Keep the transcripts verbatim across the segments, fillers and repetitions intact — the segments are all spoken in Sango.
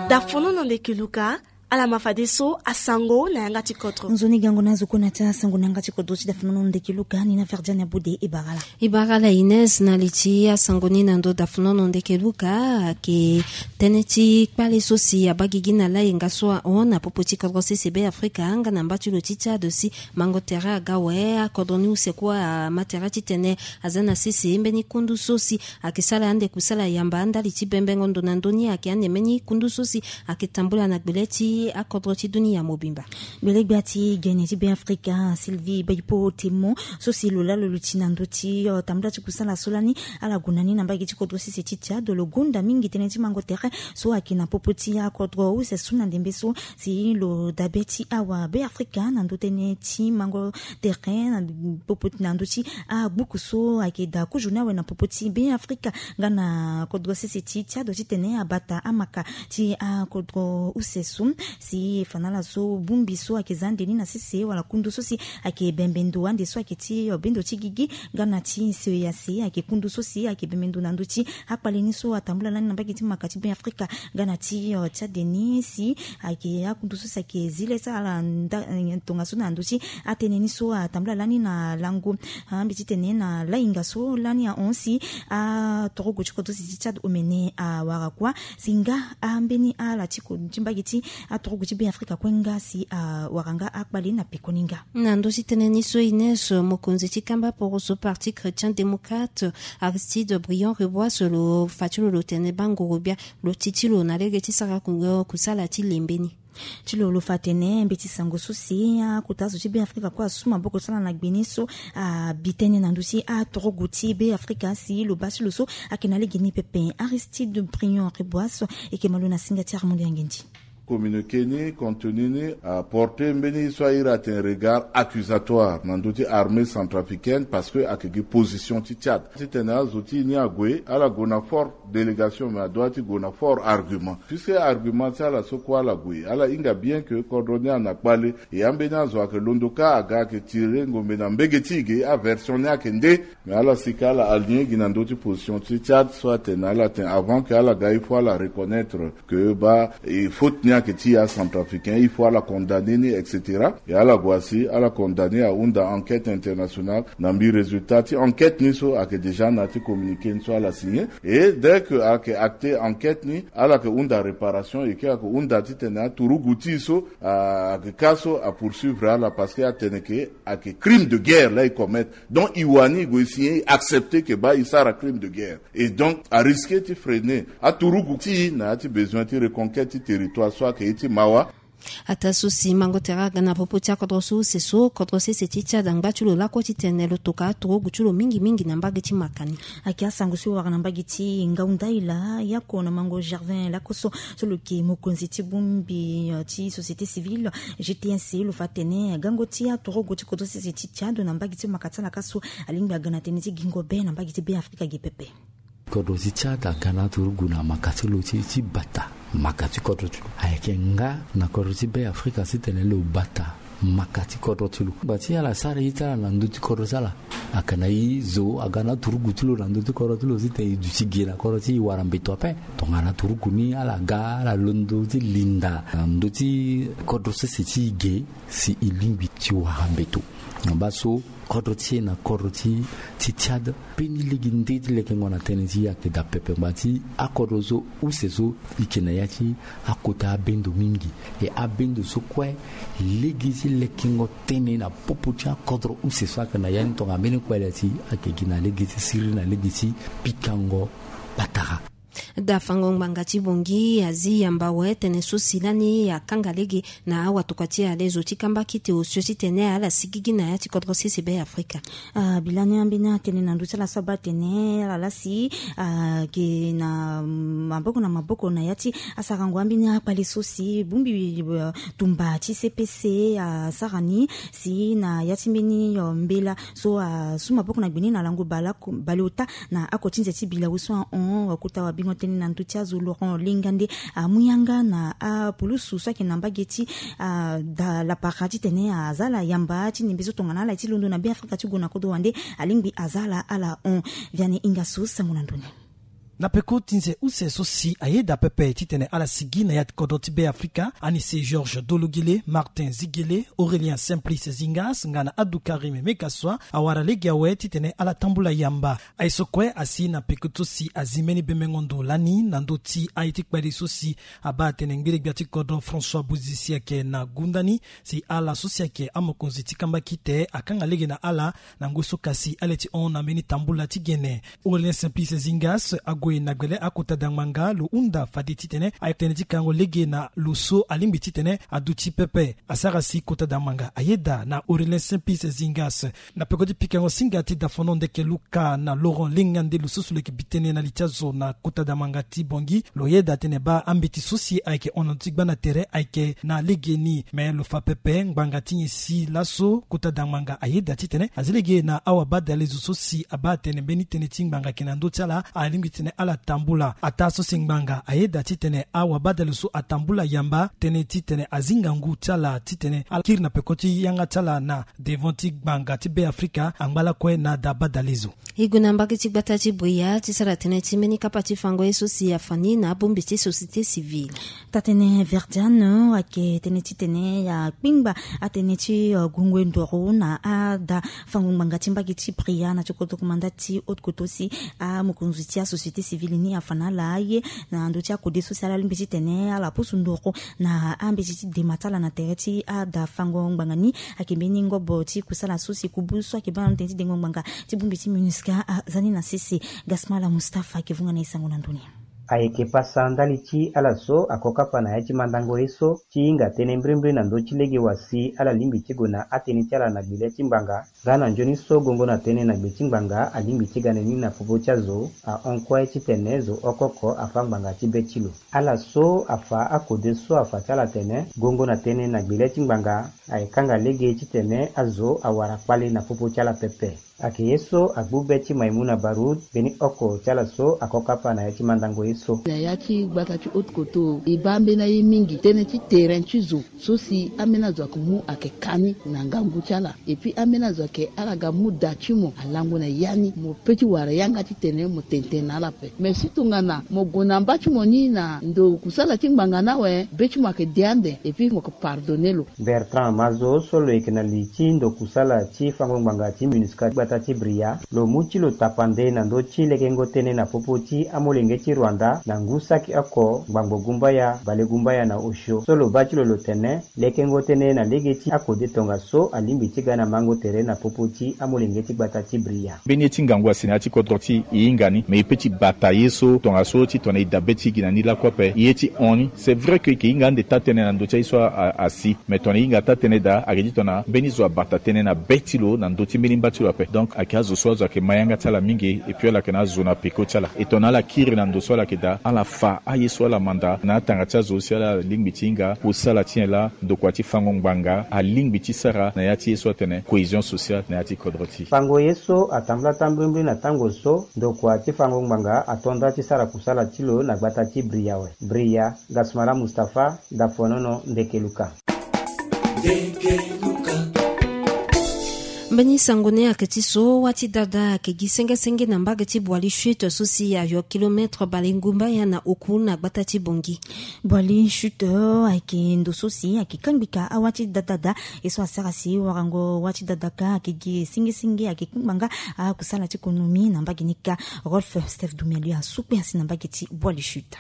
Dafonono ndeke luka. Ala ma fadeso asango na yanga ti kodro. Nzoni gango na zo kue na ti asango na yanga ti kodro ti dafonono ndeke luka ni na Verdiane Abude e bara ala. E bara ala Ines na li ti asango ni na ndo dafonono ndeke luka. Ayeke tënë ti kpale so si abaa gigi na layenga so ahon na popo ti kodro sese Be Afrika nga na mba ti lo ti Tchad si mango tere aga awe. Akodro ni use kue ama tere titene aza na sese mbeni kundu so si ayeke sara ande kusala yamba ndali ti bembengo ndo na ndö ni ayeke ande mbeni kundu so si ayeke tambula na gbele ti akodro ti dunia mobimba. Gbele-gbia ti gene ti Be Afrika Sylvie Baipo Temo so si lo laa lo luti na ndö ti, eh, tambula ti kusala so lani ala gue na ni na mbage ti kodro sese ti Tchad lo gonda mingi tënë ti mango tere so ayeke na popo ti akodro use so na ndembe so si lo dabe ti awa Be Afrika na ndö tënë ti mango tere na popo na ndö ti agbuku so ayeke daa kozo ni awe na popo ti Be Afrika nga na kodro sese ti Tchad titene abata amaka ti akodro use so si e fa na ala so bongbi so ayeke za ande ni na sese wala kundu so si ayeke bembe ndo ande so ayeke ti, eh, bendo ti gigi nga na ti C E E A C ayeke kundu so si ayeke bembe ndo na ndö ti akpale ni so atambula lani na mbage ti maka ti Be Afrika nga na ti, eh, Tchad ni si ayeke akundu so si ayeke zi le ti ala nda, eh, tongaso na ndö ti atënë ni so atambula lani na lango, ah, mbi titene na layenga so lani ahon si atorogo ti kodro sese ti Tchad omene awara kuâ si nga ambeni ala ti ko ti mbage ti atorogo ti Be Afrika kue nga si awara nga akpale na pekoni nga. Na ndö ti tënë ni so Ines, mokonzi ti kamba poroso Parti Chrétien Démocrate, Aristide Briand Rebois lo fa ti lo lo tene baa ngoro-gbia lo ti ti lo na lege ti sara ku-, kusala ti lembe ni. Ti lo lo fa atene mbeti sango so si akota zo ti Be Afrika kue asu maboko ti ala na gbe ni so abi tënë na ndö ti atorogo ti Be Afrika si lo baa ti lo so ayeke na lege ni pepe. Aristide Briand Rebois so e yeke ma lo na singa ti Armand Yangendi. Communiqué ni, contenu ni aporte mbeni so a iri atene regard accusatoire na ndö ti armée centrafricaine parce que ayeke gi position ti Tchad titene azo ti e ni ague, ala gue na fort délégation, mais adoit ti gue na fort argument. Puisque argument ti ala so kue ala gue, ala hinga bien que kodro ni ana kpale, e ambeni azo ayeke londo kâ aga ayeke tire ngombe na mbege ti e ge, aversion ni ayeke nde. Mais ala sika ala aligné gi na ndö ti position ti Tchad so atene ala tene avant que ala ga il faut ala reconnaître que baa e faute ni ayeke ti e acentrafricain, il faut ala condamné ni, et cetera. E ala gue asi ala condamné, ahunda enquête internationale. Na mbi résultat ti enquête ni so ayeke déjà na ya ti communiqué ni so ala signé. Et dès que ayeke acté enquête ni, ala yeke hunda réparation, et que ayeke hunda titene aturugu ti e so, ah, ayeke kâ so apoursuivre ala parce que atene ke ayeke crime de guerre laa e commettre. Donc e wani e gue e signé, e accepté ke baa e sara crime de guerre. Et donc a risqué ti freiner aturugu ti e na ya ti besoin ti reconquête ti territoire so ayeke ye ti mawa. Ataa so si mango tere aga na popo ti akodro so use so, kodro sese ti Tchad angba ti lo lakue titene lo toka aturugu ti lo mingimingi na mbage ti maka ni. Ayeke asango so e wara na mbage ti Ngaoundaïla, Yako na Mango Gervin Lakosso so lo yeke mokonzi ti bongbi, eh, ti société civile, G T S, lo fa atene gango ti aturugu ti kodro sese ti Tchad na mbage ti maka ti ala kâ so alingbi aga na tënë ti gingo be na mbage ti Be Afrika ge pepe. Kodro ti Tchad aga na aturugu na maka ti lo ti, ti bata maka ti kodro ti lo. Ayeke nga na kodro ti Be Afrika titene lo bata maka ti kodro ti lo. Ngba ti ala sara ye ti ala na ndö ti kodro ti ala. Ayeke na e zo aga na aturugu ti lo na ndö ti kodro ti lo titene e duti ge na kodro ti e wara mbeto ape. Tongana aturugu ni ala ga ala londo ti linda na ndö ti kodro sese ti e ge si e lingbi ti wara mbeto. Na baa so kodro ti e na kodro ti, ti Tchad, mbeni lege nde ti lekengo na tënë ti e ayeke daa pepe. Ngba ti akodro so use so e yeke na ya ti akota abendo mingi. E abendo so kue lege ti lekengo tënë na popo ti akodro use so ayeke na ya ni tongana mbeni kpale ti e ayeke gi na lege ti siriri na lege ti pikango patara. Dafango ngbanga ti Bangui azi yamba awe tënë so si lani akanga lege na awatokua ti alezo ti kamba kete osio titene ala sigigi na ya ti kodro sese Be Afrika. Ah, bi lani ambeni atene na ndö ti ala so abaa atene ala laa si, ah, ayeke na maboko na maboko na ya ti asarango ambeni akpale so si bongbi, eh, tumba ti C P C asara ni si na ya ti mbeni, eh, mbela so asu maboko na gbe ni na lango baleoko, baleota na ako ti nze ti bilawu so ahon. Wakota wabingo tënë na ndö ti azo Laurent Lengande amu yanga na apulusu so ayeke na mbage ti, ah, da lapara titene aza ala yamba ti ndembe so tongana ala ye ti londo na Be Afrika ti gue na kodro wande alingbi aza ala ala hon. Vianney Ingasso sango na ndoni. Na peko ti nze use so si ayeda pepe titene ala sigi na ya ti kodro ti Beafrika, Anise Georges Dologele, Martin Zigele, Aurélien Simplice Zingas nga na Abdou Karim Mekaswa awara lege awe titene ala tambula yamba. Aye so kue asi na peko so si azi mbeni bembengo ndo lani na ndö ti aye ti kpali so si abaa atene ngbele-gbia ti kodro François Bozizé si ayeke na gunda ni, si ala so si ayeke amokonzi ti kambakite akanga lege na ala na ngoi so kasi ale ti hon na mbeni tambula ti gene. Aurélien Simplice Zingas ague na gbele akota dangbanga lo hunda fade titene aye tënë ti kango lege na lo so alingbi titene aduti pepe. Asara si kota dangbanga ayeda na Aurélien Simplice Zingas. Na peko ti pikango singa ti Dafono Ndeke Luka na Laurent Lingande, lo so si lo yeke bi tënë na li ti azo na kota dangbanga ti Bangui, lo yeda atene baa ambeti so si ayeke hon na ndö ti gba na tere ayeke na legeni. Me lo fa pepe ngbanga ti nyen si laso kota dangbanga ayeda titene azi lege na awabadalezo so si abaa atene mbeni tënë ti ngbanga ayeke na ndö ti ala, alingbi titene ala tambula. Ataa so si ngbanga ayeda titene awabadalezo so atambula yamba, tënë titene azi ngangu ti ala titene ala kiri na peko ti yanga ti ala na devant ti ngbanga ti Beafrika angba lakue na da badalezo. E gue na mbage ti gbata ti Bria ti sara tënë ti mbeni kapa ti fango ye so si afa ni na abongbi ti société civile. Taa-tënë Verdiane ayeke tënë titene akpingba atënë ti, eh, gungo ndoro na ada fango ngbanga ti mbage ti Bria na ti kodro komanda ti Haute-Kotto si amokonzi ti asociété civile ni afa na ala aye na ndö ti akode so si ala lingbi titene ala pusu ndoro na ambeti ti dema ti ala na tere ti ada fango ngbanga ni. Ayeke mbeni ngobo ti kusala so si kubu so ayeke baa na tënë ti dengo ngbanga ti bongbi ti MINUSCA aza ni na sese. Gasmala Mustapha ayeke vunga na e sango na ndö ni. Ayeke pasa ndali ti ala so ako kapa na ya ti mandango ye so ti hinga tënë mbirimbiri na ndö ti lege wa si ala lingbi ti gue na atënë ti ala na gbele ti ngbanga. Nga na nzoni so gongo na tënë na gbe ti ngbanga alingbi ti ga na ni na popo ti azo, ahon kue titene zo oko oko afa ngbanga ti be ti lo. Ala so afa akode so afa ti ala atene gongo na tënë na gbele ti ngbanga aye kanga lege titene azo awara kpale na popo ti ala pepe. Ayeke ye so agbu be ti Maimouna Baroud, mbeni oko ti ala so ako kapa na ya ti mandango ye so. Na ya ti gbata ti Haute-Kotto e baa ambeni aye mingi, tënë ti terrain ti zo so si ambeni azo ayeke mu ayeke ka ni na ngangu ti ala. Et puis ambeni azo ayeke ala ga mu da ti mo alango na ya ni, mo pe ti wara yanga titene mo tene tënë na ala ape. Mais si tongana mo gue na mba ti mo ni na ndo kusala ti ngbanga ni awe, be ti mo ayeke de ande, et puis mo yeke pardonner lo. Bertrand Mazo so lo yeke na li ti ndo kusala ti fango ngbanga ti MINUSCA ti gbata ti Bria, lo mu ti lo tapande na ndö ti lekengo tënë na popo ti amolenge ti Rwanda na ngu saki oko, ngbangbo gumbaya, bale gumbaya na osio. So lo baa ti lo lo tene lekengo tënë na lege ti akode tongaso alingbi ti ga na mango tere na popo ti amolenge ti gbata ti Bria. Mbeni ye ti ngangu asi na ya ti kodro ti e hinga ni, me e pe ti bata ye so tongaso titene e dabe ti gi na ni lakue ape. Ye ti hon ni, c'est vrai que e yeke hinga ande taa-tënë na ndö ti aye so a, asi. Me tongana e hinga taa-tënë daa, ayeke ti tongana mbeni zo abata tënë na be ti lo na ndö ti mbeni mba ti lo ape. Donc ayeke azo so azo ayeke ma yanga ti ala mingi, et puis ala yeke na azo na peko ti ala. E tongana ala kiri na ndo so ala yeke daa, ala fa aye so ala manda na atanga ti azo si ala lingbi ti hinga kusala ti nyen laa ndokua ti fango ngbanga alingbi ti sara na ya ti ye so atene cohésion sociale na ya ti kodro ti e. Fango ye so atambula taa mbirimbiri na tango so ndokua ti fango ngbanga ato nda ti sara kusala ti lo na gbata ti Bria awe. Bria, Gasmara Mustapha, Dafonono, Ndeke Luka. Mbeni sango ni ayeke ti so wâ ti dada ayeke gi senge senge na mbage ti Boali Chute so si ayo kilomètre bale ngumbaya na oku na gbata ti Bangui. Boali Chute ayeke ndo so si ayeke kangbi ka awâ ti dada daa. E so asara si warango wâ ti dada ka ayeke gi senge senge ayeke kpingba nga akusala ti konomi na mbage ni ka. Rolf Steph Dumeli asu kue asi na mbage ti Boali Chute.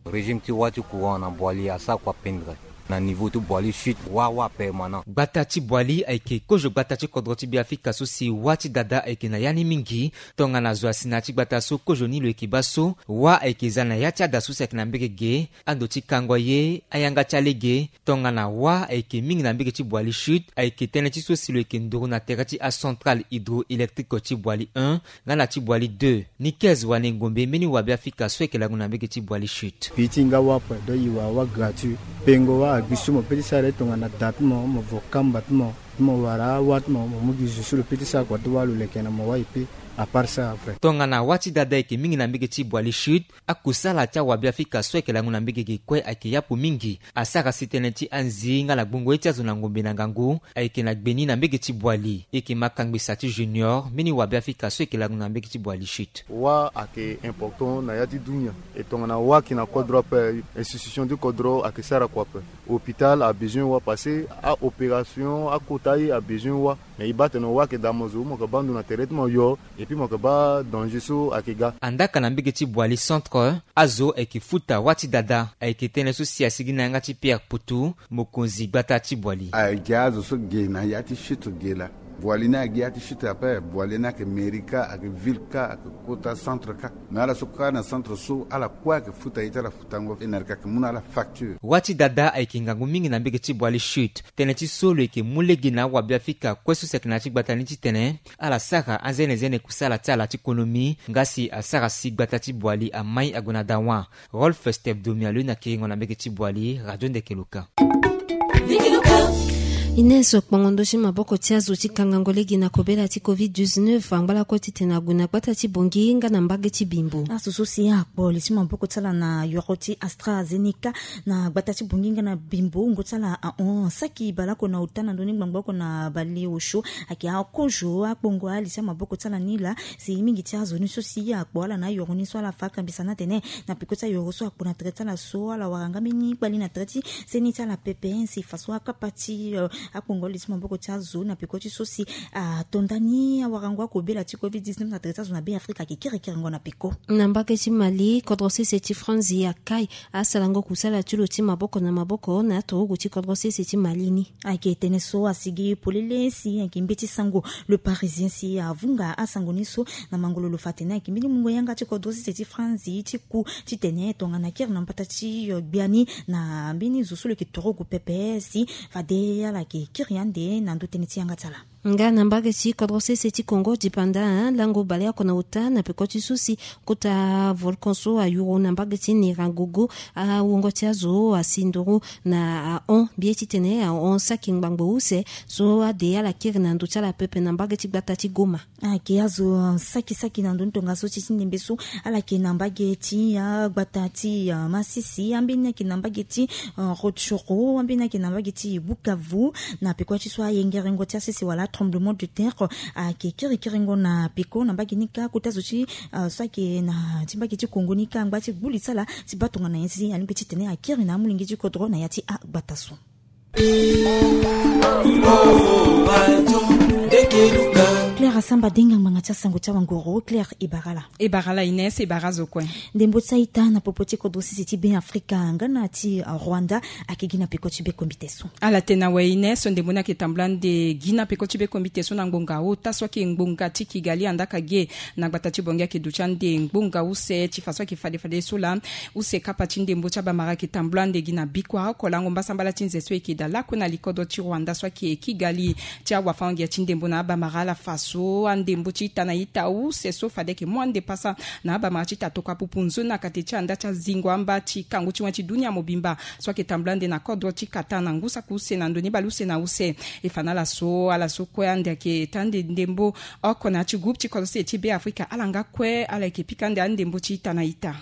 Régime ti wâ ti courant na Boali asara kua pendre na niveau ti Boali Chute, wâ wâ permanent. Gbata ti Boali ayeke kozo gbata ti kodro ti Beafrika so si wâ ti dada ayeke na ya ni mingi. Tongana zo asi na ya ti gbata so kozo ni lo yeke baa so, wâ ayeke za na ya ti ada so si ayeke na mbege ge, ando ti kango ye, ayanga ti alege. Tongana wâ ayeke mingi na mbege ti Boali Chute, ayeke tënë ti so si lo yeke nduru na tere ti acentrale hydroélectrique ti Boali un nga na ti Boali deux. Nikez Wanengombe, mbeni wabeafrika so ayeke lango na mbege ti Boali Chute. Pii ti hinga wâ ape, donc e wara wâ gratuit. Pengo wâ agbi so mo pe ti sara ye tongana da ti mo, mo vo kamba ti mo, ti mo wara awâ ti mo, mo mu gi zo so lo pe ti sara kua ti wâ lo leke na mo wâ e pe. Tongana wâ ti dada ayeke mingi na mbege ti Boali Chute, akusala ti awabeafrika so ayeke lango na mbege ge kue ayeke yapu mingi. Asara si tënë ti anzi nga na gbongo ye ti azo na ngombe na ngangu ayeke na gbe ni na mbege ti Boali. E yeke ma kangbisa ti Junior, mbeni wabeafrika so ayeke lango na mbege ti Boali Chute. Wâ ayeke important na yâ ti dunia. E tongana wâ ayeke na kodro ape, institution ti kodro ayeke sara kua ape. Hôpital abezoin wâ, parce que a-opération akota ye abezoin wâ. Mais e baa tene wâ ayeke daa mo zo, mo yeke baa ndo na tere ti mo yo, et puis mo yeke baa danger so ayeke ga. Andaa ka na mbege ti Boali Centre, azo ayeke futa wâ ti dada. Ayeke tënë so si asigi na yanga ti Pierre Putu, mokonzi gbata ti Boali. Agi azo so ge na yâ ti chute ge laa. Boali ni agi yâ ti chute ape. Boali ni ayeke mairie kâ, ayeke ville kâ, ayeke kota centre kâ. Mais ala so kâ na centre so, ala kue ayeke futa ye ti ala futango, e na yeke mu na ala facture. Wâ ti dada ayeke ngangu mingi na mbege ti Boali Chute. Tënë ti so lo yeke mu lege na awabeafrika kue so si ayeke na yâ ti gbata ni titene ala sara anzene zene kusala ti ala ti konomi, nga si asara si gbata ti Boali amai ague na dawa. Rolf Stepdomi alo na kiringo na mbege ti Boali, Radio Ndeke Luka. Ines, kpongo ndo ti maboko ti azo ti kangango lege na kobela ti covid dix-neuf angba lakue titene ague na gbata ti Bongi nga na mbage ti Bimbo. Azo so si akpo li ti maboko ti ala na yoro ti AstraZeneca na gbata ti Bongi nga na Bimbo, wungo ti ala ahon saki baleoko na ota na ndö ni ngbangbo oko na baleosio. Ayeke akozo akpongo ali ti amaboko ti ala ni laa. Si mingi ti azo ni so si akpo ala na ayoro ni so ala fa akambisa ni atene na peko ti ayoro so akpo na tere ti ala so, ala wara nga mbeni kpali na tere ti seni ti ala pepe. Si fa so akapa ti, eh, akpongo li ti maboko ti azo na peko ti so si ato ndani awarango akobela ti covid dix-neuf na tere ti azo na Beafrika ayeke kerekerengo na peko. Na mbage ti Mali, kodro sese ti Franzi akai asarango kusala ti lo ti maboko na maboko na aturugu ti kodro sese ti Mali ni. Ayeke tënë so asigi polele si ayeke mbeti sango Le Parisien si avunga asango ni so na mangololo fa atene ayeke mbeni mungo yanga ti kodro sese ti Franzi ti ku titene tongana kiri na mbata ti, eh, gbia ni na mbeni zo so lo yeke turugu pepe si fade ala yeke kiri ande na ndö tënë ti yanga ti ala. Nga na mbage ti kodro sese ti Congo dipanda, eh, lango baleoko na ota na peko ti so si kota volcan so ayuru na mbage ti Nyiragongo, awungo ti azo asi nduru na ahon mbi ye titene ahon saki ngbangbo use so ade ala kiri na ndo ti ala pepe na mbage ti gbata ti Goma. Ayeke azo saki saki na ndo ni tongaso ti ti ndembe so ala yeke na mbage ti agbata ti, ah, Masisi, ambeni ayeke na mbage ti, ah, Rutshuru, ambeni ayeke na mbage ti Bukavu. Na peko ti so ayengerengo ti asese wala tremblement de terre ayeke kirikiringo na peko na mbage ni kâ. Kota zo ti, ah, so ayeke na ti mbage ti Congo ni kâ angba ti gbu li ti ala ti baa tongana nyen si alingbi titene akiri na amolenge ti kodro na ya ti agbata so. Claire Asamba Denga, ngbanga ti asango ti awangoro. Claire, e bara ala. E bara ala Ines, e bara azo kue. Ndembo ti a-ita na popo ti kodro sese ti Beafrika nga na ti, ah, Rwanda ayeke gi na peko ti bekombite so. Ala tene awe Ines, ndembo ni ayeke tambula ande gi na peko ti bekombite so na ngbonga ota so ayeke ngbonga ti Kigali, andaa ka ge na gbata ti Bongi ayeke duti ande ngbonga use ti fa so ayeke fade fade so laa. Use kapa ti ndembo ti abamara ayeke tambula ande gi na bikua oko lango mbasambala ti nze so e yeke daa lakue na likodro ti Rwanda so ayeke Kigali. Ti awafango-ngia ti ndembo na abamara ala fa so andembo ti ita na ita use so fade ayeke mu ande pasa na abamara ti ita tokua pupu nzoni na kate ti andaa ti azingo amba ti kangu ti wen ti dunia mobimba so ayeke tambula ande na kodro ti Qatar na ngu saki use na ndo ni bale use na use. E fa na ala so, ala so kue ande ayeke taa ande ndembo oko na ya ti groupe ti kodro sese ti Beafrika, ala nga kue ala yeke pika ande andembo ti ita na ita.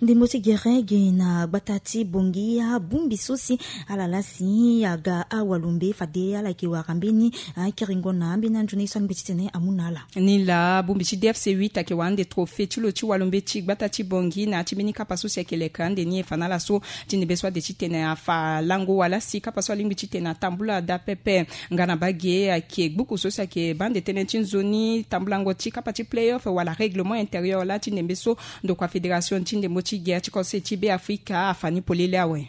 Ndembo ti gere ge na gbata ti Bongi, abongbi so si ala laa si aga awalumbe fade ala yeke wara mbeni akiringo na ambeni anzoni so alingbi titene amu na ala. Ni laa bongbi ti D F C huit ayeke wara ande trophée ti lo ti walumbe ti gbata ti Bongi na ya ti mbeni kapa so si ayeke leke ande ni. E fa na ala so ti ndembe so ade titene afa lango wala si kapa so alingbi titene atambula daa pepe. Nga na bage ayeke gbuku so si ayeke baa ande tënë ti nzoni tambulango ti kapa ti playoff wala règlement intérieur laa ti ndembe so ndokua fédération ti ndembo ti gere ti kodro sese ti Beafrika afa ni polele awe.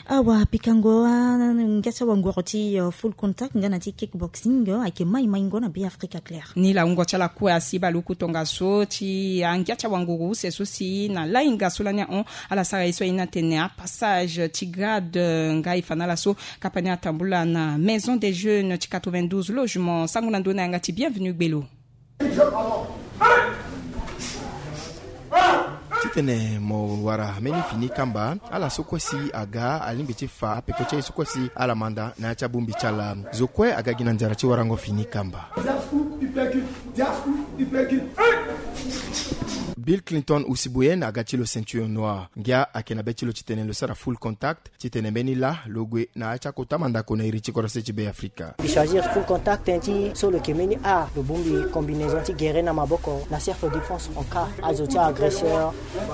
Awa pikango, ah, ngia ti awangoro ti, eh, full contact nga na ti kickboxing, eh, ayeke mai maingo na Beafrika, Claire. Ni laa wungo ti ala kue asi bale uku tongaso ti angia ti awangoro use so si na lainga so lani ahon ala sara ye so aye ni atene apassage ti grade, eh, nga e fa na ala so kapa ni atambula na Maison des Jeunes ti quatre-vingt-douze logements. Sango na ndö na yanga ti Bienvenu Gbelo. Titene mo wara mbeni fini kamba, ala so kue si aga alingbi ti fa apeko ti aye so kue si ala manda na ya ti abongbi ti ala. Zo kue aga gi na nzara ti warango fini kamba. Bill Clinton Usibuyen aga ti lo ceinture noire. Ngia ayeke na be ti lo titene lo sara full contact titene mbeni lâ lo gue na ya ti akota mandako na iri ti kodro se ti Be Afrika. Mbi choisir full contact ti so lo yeke mbeni art, lo bongbi combinaison ti gere na maboko na self défense en cas azo ti agresseur.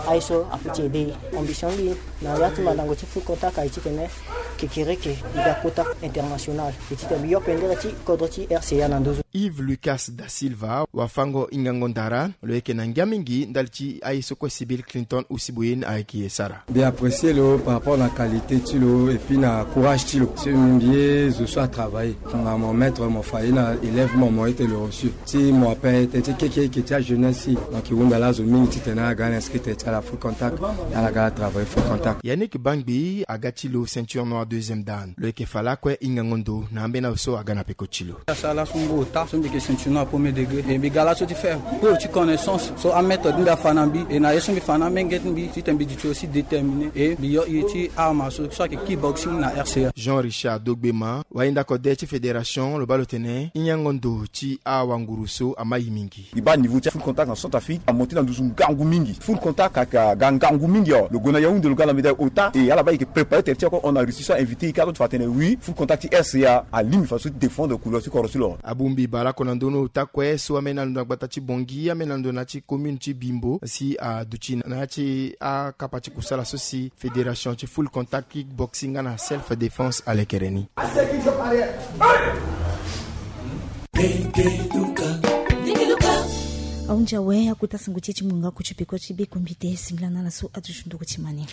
Aye so apeut ti aidé. Ambition mbi na ya ti mandango ti full contact aye titene kekereke e ga kota international. E titene mbi yo pendere ti kodro ti R C A na nduzu. Yves Lucas da Silva, wafango hingango ndara, lo yeke na ngia mingi ndali ti aye so kue si Bill Clinton Usibuyen ayeke sara. Mbi apprécier lo par rapport na qualité ti lo et puis na courage ti lo. Si mbi ye zo so atravailler, tongana mo maître mo fa ye na élève mo, mo ye tene lo reçu. Si mo appel tene ti keke eke ti ajeunesse si, donc e hunda laa zo mingi titene ala ga ala inscrit tene ti ala full contact, ala ga ala travailler full contact. Yannick Bangbi aga ti lo ceinture noire deuxième dan. Lo yeke fa lakue hingango ndo na ambeni azo so aga na peko ti lo. Asara laso ngu ota so mbi yeke ceinture noire premier degré. E mbi ga laso ti faire preuve ti connaissance so améthode mbi afa na mbi, e na ye so mbi fa na amenge ti mbi titene mbi duti aussi déterminé. E mbi yo iri ti arme so so ayeke kickboxing na R C A. Jean Richard Dogbema, wahinda kode ti fédération, lo baa lo tene hingango ndo ti awanguru so ama ye mingi. E baa niveau ti full contact na Centrafrique amonté na nduzu ngangu mingi. Full contact ayeke aga ngangu mingi awe. Lo gue na Yaoundé, lo ga na médaille ota, e ala baa e yeke préparer tene ti ako hon na Russie so a invité e kâ so ti fa tene oui, full contact ti R C A alingbi fadeso ti défendre couleur ti kodro ti lo. Abongbi bale oko na ndoni ota kue so ambeni ando na gbata ti Bangui, ambeni ando na ya ti commune ti Bimbo si aduti na ya ti akapa ti kusala so si fédération ti full contact kickboxing nga na self défense alekere ni. Ahunzi awe akota sango ti e ti mungo oko ti peko ti be kombite singila na ala so aduti nduru ti mani.